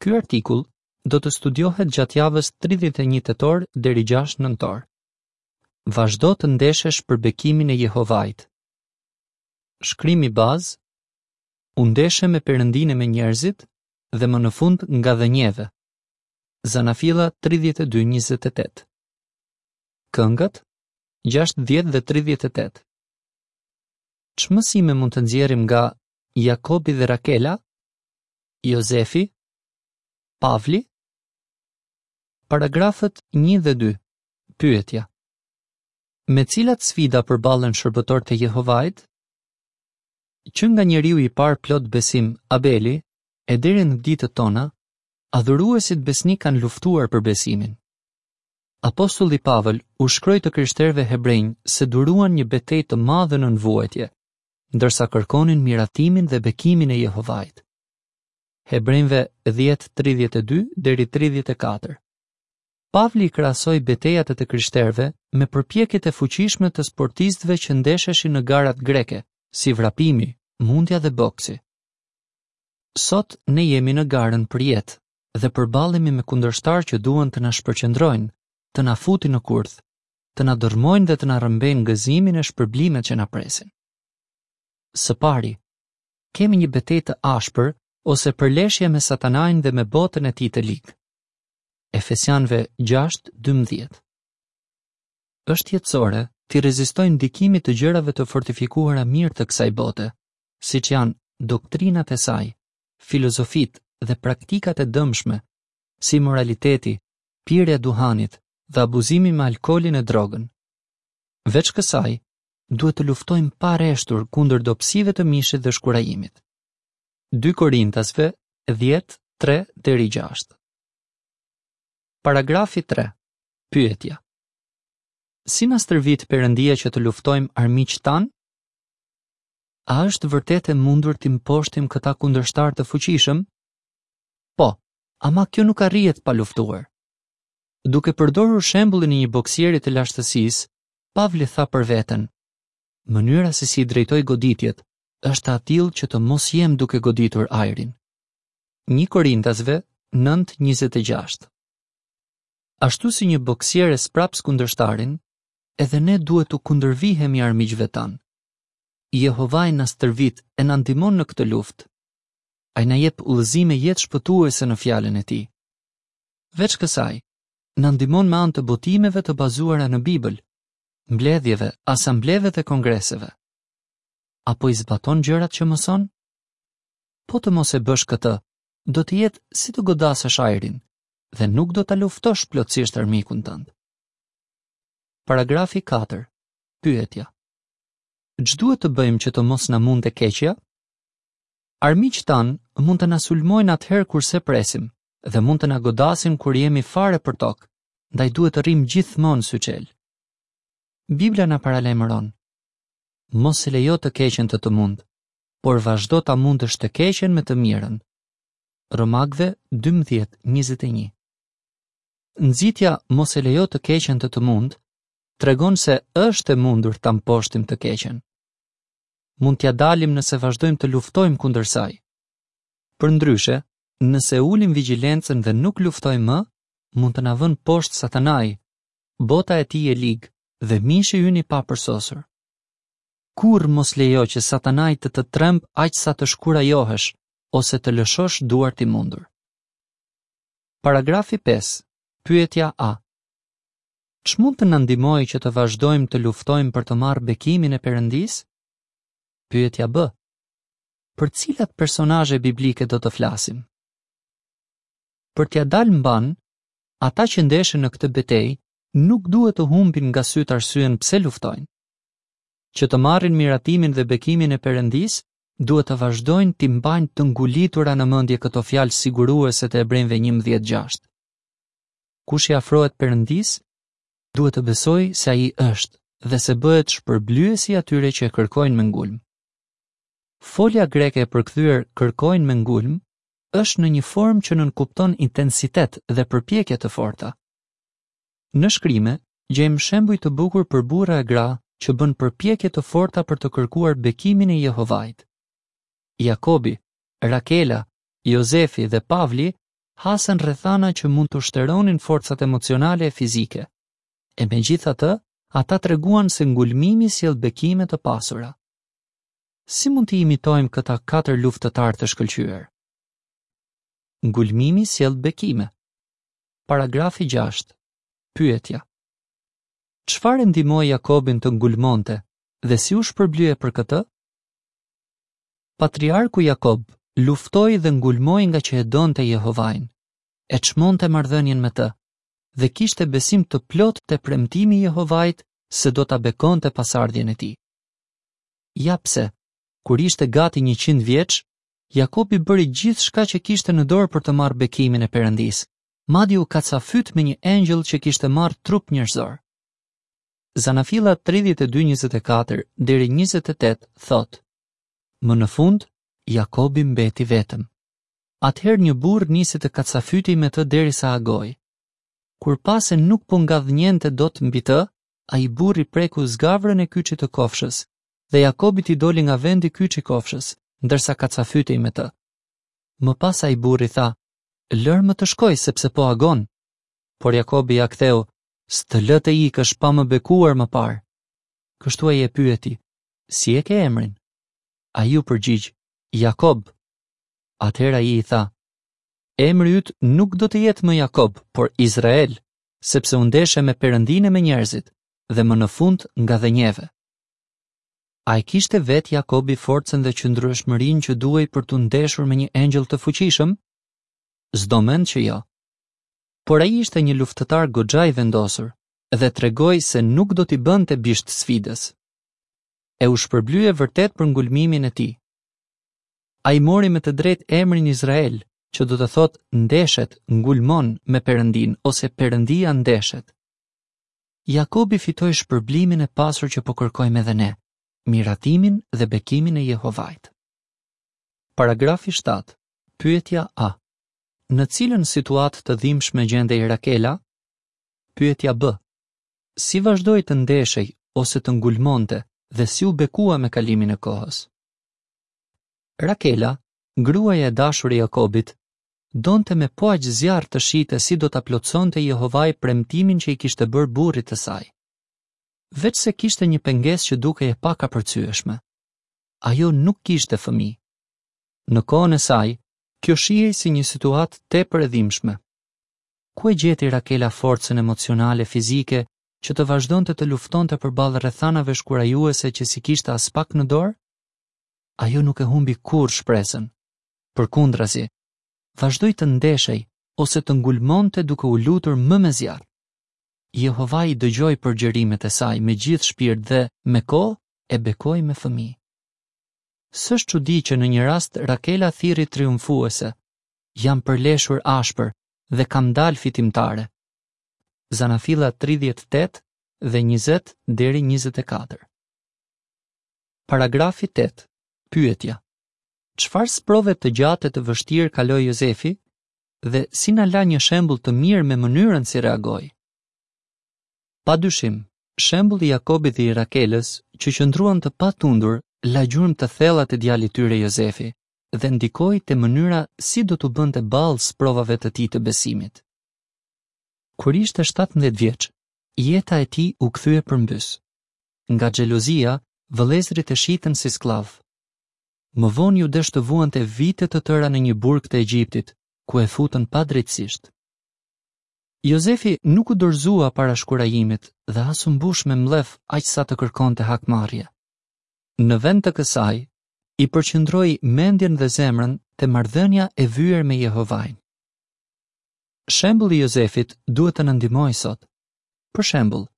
Ky artikull do të studiohet gjatë javës 31 tetor deri 6 nëntor. Vazhdo të ndeshesh për bekimin e Jehovait. Shkrimi bazë U ndeshe me Perëndinë e me njerëzit dhe më në fund ngadhënjeve. Zanafilla 32:28. Këngët 60 dhe 38. Ç'mësime mund të nxjerrim nga Jakobi dhe Rakela? Jozefi? Pavli? Paragrafët 1 dhe 2. Pyetja. Me cilat sfida përballen shërbëtorët e Jehovait? Që nga njeriu i parë plot besim, Abeli, e deri në ditët tona, adhuruesit besnikë kanë luftuar për besimin. Apostulli Pavël u shkroi të krishterëve hebrenj se duruan një betejë të madhe nën vuajtje, ndërsa kërkonin miratimin dhe bekimin e Jehovait. Hebrenjve 10:32 deri 34. Pavli i krahasoi betejat e të krishterëve me përpjekjet e fuqishme të sportistëve që ndesheshin në garat greke, si vrapimi, mundja dhe boksi. Sot ne jemi në garën për jetë dhe përballemi me kundërshtarë që duan të na shpërqendrojnë, të na futin në kurth, të na dërrmojnë dhe të na rrëmbejnë gëzimin e shpërblimet që na presin. Së pari, kemi një betejë të ashpër ose përleshje me Satanain dhe me botën e tij të ligë. Efesianëve 6:12. Është jetësore t'i rezistojmë ndikimit të gjërave të fortifikuara mirë të kësaj bote, siç janë doktrinat e saj, filozofitë dhe praktikat e dëmshme, si imoraliteti, pirja e duhanit dhe abuzimi me alkoolin e drogën. Veç kësaj, duhet të luftojmë pa reshtur kundër dobësive të mishit dhe shkurajimit. 2 Korintasve 10, 3 deri 6. Paragrafi 3. Pyetja. Si na stërvit Perëndia që të luftojmë armiqtë tanë? A është vërtet e mundur t'i mposhtim këta kundërshtarë të fuqishëm? Po, ama kjo nuk arrihet pa luftuar. Duke përdorur shembullin e një boksieri të lashtësisë, Pavli tha për veten: Mënyra se si i drejtoj goditjet është e atillë që të mos jem duke goditur ajrin. 1 Korintasve 9:26. Ashtu si një boksier e spraps kundërshtarin, edhe ne duhet t'u kundërvihemi armiqve tanë. Jehovai na stërvit e na ndihmon në këtë luftë. Ai na jep udhëzime jetëshpëtuese në Fjalën e Tij. Veç kësaj, na ndihmon me anë të botimeve të bazuara në Bibël, mbledhjeve, asambleve dhe kongreseve. A po i zbaton gjërat që mëson? Po të mos e bësh këtë, do të jetë si të godasësh ajrin dhe nuk do ta luftosh plotësisht armikun tënd. Paragrafi 4. Pyetja. Ç'duhet të bëjmë që të mos na mundë e keqja? Armiqtë tanë mund të na sulmojnë atëherë kur s'e presim dhe mund të na godasin kur jemi fare përtokë, ndaj duhet të rrimë gjithmonë syçelë. Bibla na paralajmëron: Mos e lejo të keqen të të mundë, por vazhdo ta mundësh të keqen me të mirën. Romakëve 12:21. Nxitja mos e lejo të keqen të të mundë tregon se është e mundur ta mposhtim të keqen. Mund t'ia dalim nëse vazhdojmë të luftojmë kundër saj. Përndryshe, nëse ulim vigjilencën dhe nuk luftojmë më, mund të na vënë poshtë Satanai, bota e tij e ligë dhe mishi ynë i papërsosur. Kurrë mos lejo që Satanai të të trembë aq sa të shkurajohesh ose të lëshosh duart i mundur. Paragrafi 5. Pyetja A. Ç'mund të na ndihmojë që të vazhdojmë të luftojmë për të marrë bekimin e Perëndisë? Pyetja B. Për cilat personazhe biblike do të flasim? Për t'ia dalë mbanë, ata që ndeshen në këtë betejë nuk duhet të humbin nga sytë arsyen pse luftojnë. Që të marrin miratimin dhe bekimin e Perëndisë, duhet të vazhdojnë t'i mbajnë të ngulitura në mendje këto fjalë siguruese të Hebrenjve 11:6. Kush i afrohet Perëndisë, duhet të besojë se ai është dhe se bëhet shpërblyesi i atyre që e kërkojnë me ngulm. Folja greke e përkthyer kërkojnë me ngulm është në një formë që nënkupton intensitet dhe përpjekje të forta. Në shkrime gjejmë shembuj të bukur për burra e gra që bënë përpjekje të forta për të kërkuar bekimin e Jehovait. Jakobi, Rakela, Jozefi dhe Pavli. hasën rrethana që mund t'u shteronin forcat emocionale e fizike. E megjithatë, ata treguan se ngulmimi sjell bekime të pasura. Si mund t'i imitojmë këta katër luftëtarë të shkëlqyer? Ngulmimi sjell bekime. Paragrafi 6. Pyetja. Çfarë e ndihmoi Jakobin të ngulmonte dhe si u shpërblye për këtë? Patriarku Jakob luftoi dhe ngulmoi ngaqë e donte Jehovain, e çmonte marrëdhënien me të dhe kishte besim të plotë te premtimi i Jehovait se do ta bekonte pasardhjen e tij. Ja pse, kur ishte gati 100 vjeç, Jakobi bëri gjithçka që kishte në dorë për të marrë bekimin e Perëndisë, madje u kacafyt me një engjëll që kishte marrë trup njerëzor. Zanafilla 32:24 deri 28 thotë: Më në fund, Jakobi mbeti vetëm. Atëherë një burrë nisi të kacafytej me të derisa agoi. Kur pa se nuk po ngadhënjente dot mbi të, ai burrë i preku zgavrën e kyçit të kofshës, dhe Jakobit i doli nga vendi kyçi i kofshës, ndërsa kacafytej me të. Më pas ai burrë i tha, lërmë të shkoj sepse po agon. Por Jakobi ia ktheu, s'të lë të ikësh pa më bekuar më parë. Kështu ai e pyeti, si e ke emrin? Ai iu përgjigj, Jakob. Atëherë ai i tha, emri yt nuk do të jetë më Jakob, por Izrael, sepse u ndeshe me Perëndinë e me njerëzit, dhe më në fund ngadhënjeve. A e kishte vetë Jakobi forcën dhe qëndrueshmërinë që duhej për t'u ndeshur me një engjëll të fuqishëm? S'do mend që jo. Por ai ishte një luftëtar goxha i vendosur dhe tregoi se nuk do t'i bënte bisht sfidës. E u shpërblye vërtet për ngulmimin e tij. Ai mori me të drejtë emrin Izrael, që do të thotë ndeshet, ngulmon me Perëndinë ose Perëndia ndeshet. Jakobi fitoi shpërblimin e pasur që po kërkojmë edhe ne, miratimin dhe bekimin e Jehovait. Paragrafi 7. Pyetja A. Në cilën situatë të dhimbshme gjendej Rakela? Pyetja B. Si vazhdoi të ndeshej ose të ngulmonte dhe si u bekua me kalimin e kohës? Rakela, gruaja e dashur e Jakobit, donte me po aq zjarr të shihte si do ta plotësonte Jehovai premtimin që i kishte bërë burrit të saj. Veçse kishte një pengesë që dukej e pakapërcyeshme. Ajo nuk kishte fëmijë. Në kohën e saj, kjo shihej si një situatë tepër e dhimbshme. Ku e gjeti Rakela forcën emocionale fizike që të vazhdonte të luftonte përballë rrethanave shkurajuese që s'i kishte aspak në dorë? Ajo nuk e humbi kurrë shpresën. Përkundrazi, vazhdoi të ndeshej ose të ngulmonte duke u lutur më me zjarr. Jehovai dëgjoi përgjërimet e saj me gjithë shpirt dhe, me kohë, e bekoi me fëmijë. S'është çudi që në një rast Rakela thirri triumfuese, jam përleshur ashpër dhe kam dalë fitimtare. Zanafilla 38 dhe 20 deri 24. Paragrafi 8. Pyetja. Çfarë sprove të gjatë e të vështirë kaloi Jozefi dhe si na la një shembull të mirë me mënyrën si reagoi? Pa dyshim, shembulli i Jakobit dhe i Rakelës, që qëndruan të patundur, la gjurmë të thella te djali i tyre Jozefi dhe ndikoi te mënyra si do t'u bënte ballë sprovave të tij të besimit. Kur ishte 17 vjeç, jeta e tij u kthye përmbys. Nga xhelozia, vëllezërit e shitën si skllav. Më vonë iu desh të vuante vite të tëra në një burg të Egjiptit, ku e futën padrejtësisht. Jozefi nuk u dorëzua para shkurajimit dhe as u mbush me mllef aq sa të kërkonte hakmarrje. Në vend të kësaj, i përqendroi mendjen dhe zemrën te marrëdhënia e vyer me Jehovain. Shembulli i Jozefit duhet të na ndihmojë sot. Për shembull,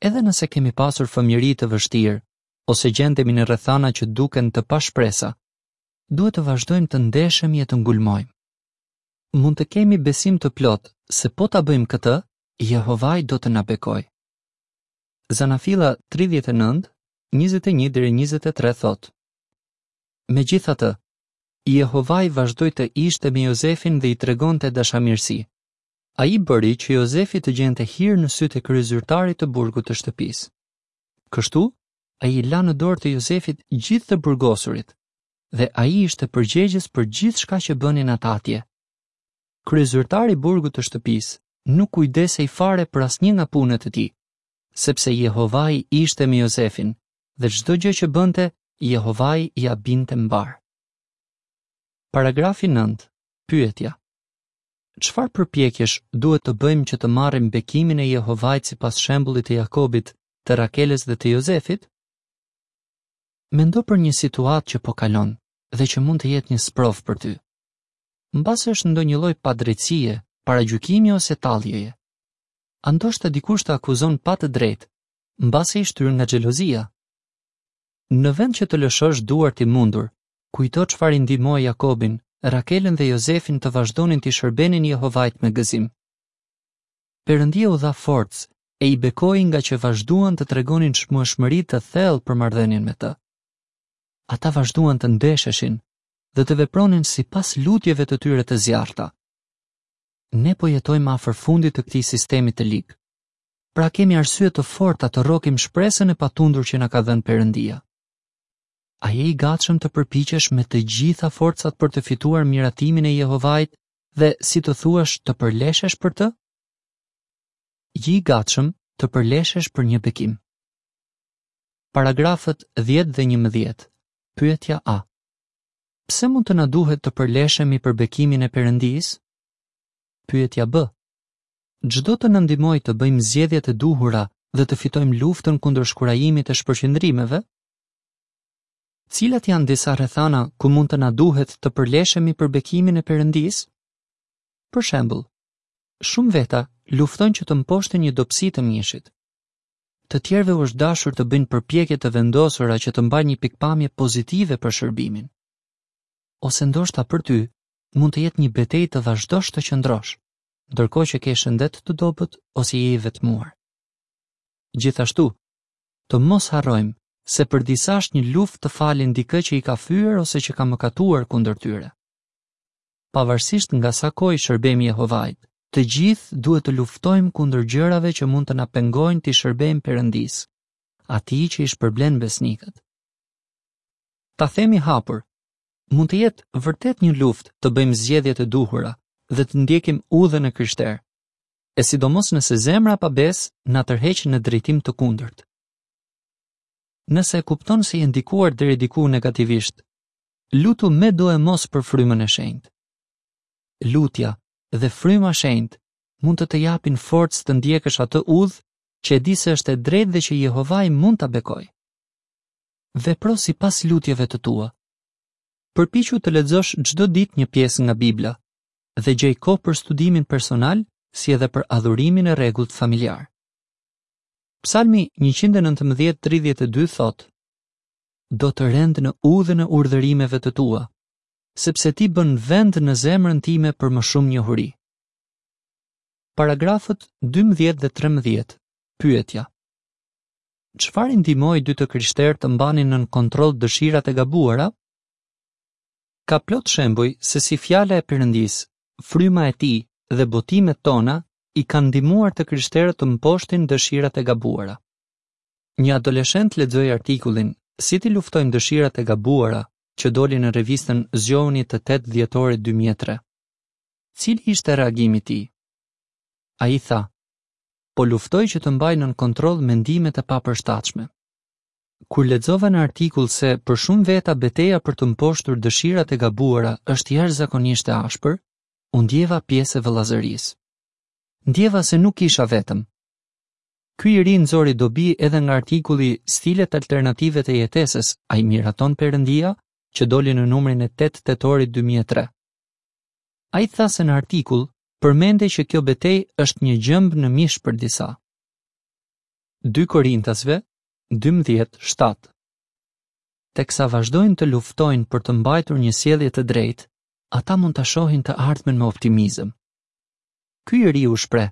edhe nëse kemi pasur fëmijëri të vështirë ose gjendemi në rrethana që duken të pashpresa, duhet të vazhdojmë të ndeshemi e të ngulmojmë. Mund të kemi besim të plotë se po ta bëjmë këtë, Jehovai do të na bekojë. Zanafilla 39, 21 deri 23 thotë: Megjithatë, Jehovai vazhdoi të ishte me Jozefin dhe i tregonte dashamirësi. Ai bëri që Jozefi të gjente hir në sytë e kryezyrtarit të burgut të shtëpisë. Kështu, ai i la në dorë të Jozefit gjithë të burgosurit dhe ai ishte përgjegjës për gjithçka që bënin ata atje. Kryezyrtari i burgut të shtëpisë nuk kujdesej fare për asnjë nga punët e tij, sepse Jehovai ishte me Jozefin dhe çdo gjë që bënte, Jehovai ia binte mbarë. Paragrafi 9. Pyetja. Çfarë përpjekjesh duhet të bëjmë që të marrim bekimin e Jehovait sipas shembullit të Jakobit, të Rakelës dhe të Jozefit? Mendo për një situatë që po kalon dhe që mund të jetë një sprovë për ty. Mbase është ndonjë lloj padrejtësie, paragjykimi ose talljeje. A ndoshta dikush të akuzon pa të drejtë, mbase i shtyrë nga xhelozia. Në vend që të lëshosh duart i mundur, kujto çfarë i ndihmoi Jakobin, Rakelën dhe Jozefin të vazhdonin t'i shërbenin Jehovait me gëzim. Perëndia u dha forcë e i bekoi ngaqë vazhduan të tregonin çmueshmëri të thellë për marrëdhënien me të. Ata vazhduan të ndesheshin dhe të vepronin sipas lutjeve të tyre të zjarrta. Ne po jetojmë afër fundit të këtij sistemi të lig. Pra kemi arsye të forta të rrokim shpresën e patundur që na ka dhënë Perëndia. A je i gatshëm të përpiqesh me të gjitha forcat për të fituar miratimin e Jehovait dhe, si të thuash, të përleshesh për të? Ji i gatshëm të përleshesh për një bekim. Paragrafët 10 dhe 11. Pyetja A. Pse mund të na duhet të përleshemi për bekimin e Perëndisë? Pyetja B. Ç'do të na ndihmojë të bëjmë zgjedhjet e duhura dhe të fitojmë luftën kundër shkurajimit e shpërqendrimeve? Cilat janë disa rrethana ku mund të na duhet të përleshemi për bekimin e Perëndisë? Për shembull, shumë veta luftojnë që të mposhtin një dobësi të mishit. Të tjerëve u është dashur të bëjnë përpjekje të vendosura që të mbajnë një pikëpamje pozitive për shërbimin. Ose ndoshta për ty mund të jetë një betejë të vazhdosh të qëndrosh, ndërkohë që ke shëndet të dobët ose je i vetmuar. Gjithashtu, të mos harrojmë se për disa është një luftë të falin dikë që i ka fyer ose që ka mëkatuar kundër tyre. Pavarësisht nga sa kohë i shërbejmë Jehovait, të gjithë duhet të luftojmë kundër gjërave që mund të na pengojnë t'i shërbejmë Perëndisë, atij që i shpërblen besnikët. Ta themi hapur, mund të jetë vërtet një luftë të bëjmë zgjedhjet e duhura dhe të ndjekim udhën e krishterë, e sidomos nëse zemra e pabesë na tërheq në drejtim të kundërt. Nëse e kupton se je ndikuar deri diku negativisht, lutu medoemos për frymën e shenjtë. Lutja dhe fryma e shenjtë mund të të japin forcë të ndjekësh atë udhë që e di se është e drejtë dhe që Jehovai mund ta bekojë. Vepro sipas lutjeve të tua. Përpiqu të lexosh çdo ditë një pjesë nga Bibla dhe gjej kohë për studimin personal si edhe për adhurimin e rregullt familjar. Psalmi 119:32 thotë: Do të rend në udhën e urdhërimeve të tua, sepse ti bën vend në zemrën time për më shumë njohuri. Paragrafët 12 dhe 13. Pyetja. Çfarë i ndihmoi dy të krishterë të mbanin nën kontroll dëshirat e gabuara? Ka plot shembuj se si fjala e Perëndisë, fryma e tij dhe botimet tona i kanë ndihmuar të krishterët të mposhtin dëshirat e gabuara. Një adoleshent lexoi artikullin Si t'i luftojmë dëshirat e gabuara që doli në revistën Zgjohuni të 8 dhjetorit 2003. Cili ishte reagimi i tij? Ai tha, Po luftoj që të mbaj nën kontroll mendimet e papërshtatshme. Kur lexova në artikull se për shumë veta beteja për të mposhtur dëshirat e gabuara është jashtëzakonisht e ashpër, u ndjeva pjesë e vëllazërisë. Ndjeva se nuk isha vetëm. Ky i ri nxori dobi edhe nga artikulli Stilet alternative të jetesës, a i miraton Perëndia, që doli në numrin e 8 tetorit 2003. Ai tha se në artikull përmendej që kjo betejë është një gjemb në mish për disa. 2 Korintasve 12:7 Teksa vazhdojnë të luftojnë për të mbajtur një sjellje të drejtë, ata mund ta shohin të ardhmen me optimizëm. Ky i ri u shpreh: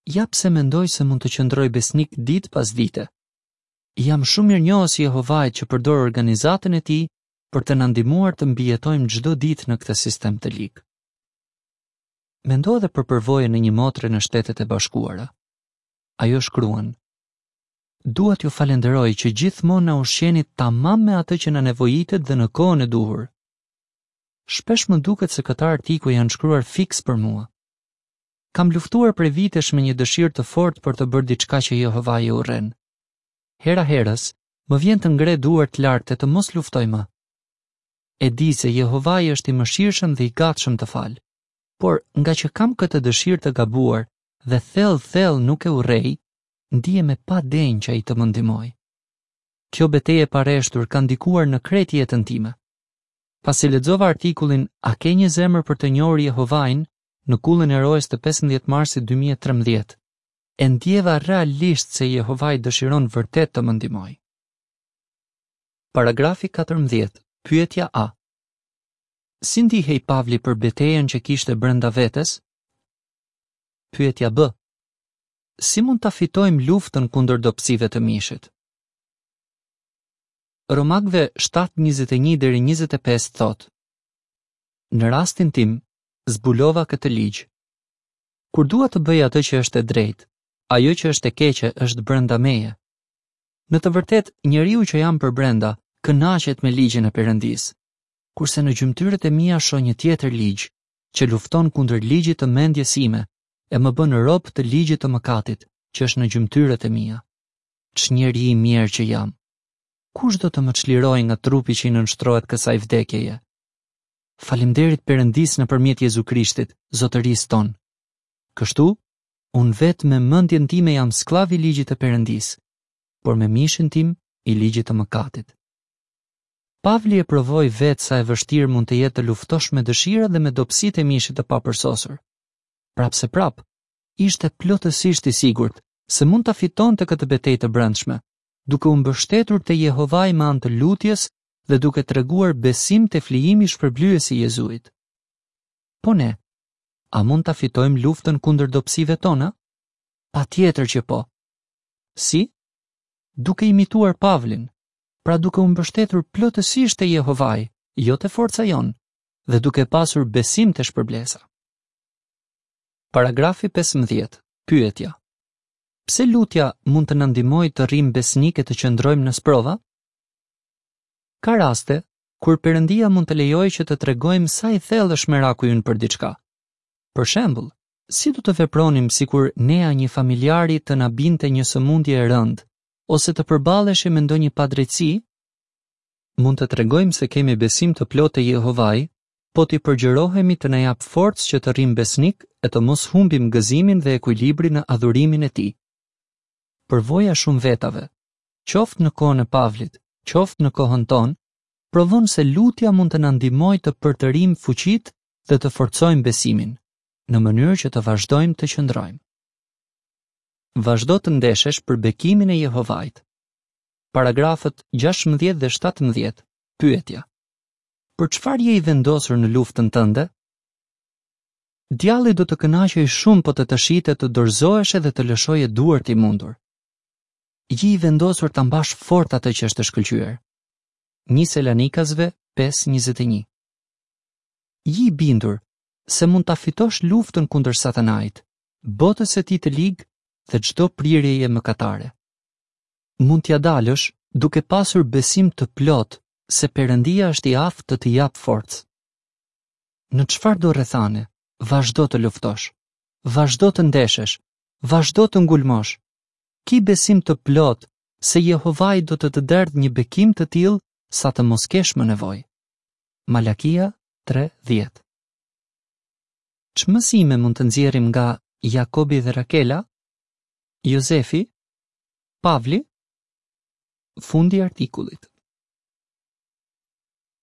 Ja pse mendoj se mund të qëndroj besnik ditë pas dite. Jam shumë mirënjohës Jehovait që përdor organizatën e tij për të na ndihmuar të mbijetojmë çdo ditë në këtë sistem të lig. Mendo edhe për përvojën e një motre në Shtetet e Bashkuara. Ajo shkruan: Dua t'ju falënderoj që gjithmonë na ushqeni tamam me atë që na nevojitet dhe në kohën e duhur. Shpesh më duket se këta artikuj janë shkruar fiks për mua. Kam luftuar prej vitesh me një dëshirë të fortë për të bërë diçka që Jehovai e urren. Hera-herës, më vjen të ngre duart lart e të mos luftoj më. E di se Jehovai është i mëshirshëm dhe i gatshëm të falë. Por, ngaqë kam këtë dëshirë të gabuar dhe thellë thellë nuk e urrej, ndihem e padenjë që ai të më ndihmojë. Kjo betejë e pareshtur ka ndikuar në krejt jetën time. Pasi lexova artikullin A ke një zemër për të njohur Jehovain në Kullën e Rojës të 15 marsit 2013, e ndjeva realisht se Jehovai dëshiron vërtet të më ndihmojë. Paragrafi 14, pyetja A. Si ndihej Pavli për betejën që kishte brenda vetes? Pyetja B. Si mund ta fitojmë luftën kundër dobësive të mishit? Romakëve 7:21 deri 25 thotë: Në rastin tim, zbulova këtë ligj. Kur dua të bëj atë që është e drejtë, ajo që është e keqe është brenda meje. Në të vërtetë, njeriu që jam përbrenda kënaqet me ligjin e Perëndisë, kurse në gjymtyrët e mia shoh një tjetër ligj, që lufton kundër ligjit të mendjes sime e më bën rob të ligjit të mëkatit, që është në gjymtyrët e mia. Ç'njeri i mjerë që jam! Kush do të më çlirojë nga trupi që i nënshtrohet kësaj vdekjeje? Faleminderit Perëndisë nëpërmjet Jezu Krishtit, Zotërisë tonë. Kështu, unë vetë me mendjen time jam skllav i ligjit të Perëndisë, por me mishin tim i ligjit të mëkatit. Pavli e provoi vetë sa e vështirë mund të jetë të luftosh me dëshirat dhe me dobësitë e mishit të papërsosur. Prapëseprapë, ishte plotësisht i sigurt se mund ta fitonte këtë betejë të brendshme, duke u mbështetur te Jehovai me anë të lutjes dhe duke treguar besim te flijimi shpërblyes i Jezuit. Po ne, a mund ta fitojmë luftën kundër dobësive tona? Patjetër që po. Si? Duke imituar Pavlin, pra duke u mbështetur plotësisht te Jehovai, jo te forca jonë, dhe duke pasur besim te shpërblesa. Paragrafi 15. Pyetja. Pse lutja mund të na ndihmojë të rrimë besnikë e të qëndrojmë në sprova? Ka raste kur Perëndia mund të lejojë që të tregojmë sa i thellë është meraku ynë për diçka. Për shembull, si do të vepronim sikur ne a një familjari të na binte një sëmundje e rëndë ose të përballeshim me ndonjë padrejtësi? Mund të tregojmë se kemi besim të plotë te Jehovai, po t'i përgjërohemi të na japë forcë që të rrimë besnikë e të mos humbim gëzimin dhe ekuilibrin në adhurimin e tij. Përvoja e shumë vetave, qoftë në kohën e Pavlit, qoftë në kohën tonë, provon se lutja mund të na ndihmojë të përtërijmë fuqitë dhe të forcojmë besimin, në mënyrë që të vazhdojmë të qëndrojmë. Vazhdo të ndeshesh për bekimin e Jehovait. Paragrafët 16 dhe 17, pyetja. Për çfarë je i vendosur në luftën tënde? Djalli do të kënaqej shumë po të të shihte të dorëzoheshe dhe të lëshoje duart i mundur. Ji i vendosur ta mbash fort atë që është e shkëlqyer. 1 Selanikasve 5:21. Ji i bindur se mund ta fitosh luftën kundër Satanait, botës së tij të ligë dhe çdo prirjeje mëkatare. Mund t'ia dalësh duke pasur besim të plotë se Perëndia është i aftë të të japë forcë. Në çfarëdo rrethane, vazhdo të luftosh, vazhdo të ndeshesh, vazhdo të ngulmosh. Ki besim të plotë se Jehovai do të të derdhë një bekim të tillë sa të mos kesh më nevojë. Malakia 3:10. Ç'mësime mund të nxjerrim nga Jakobi dhe Rakela? Jozefi? Pavli? Fundi i artikullit.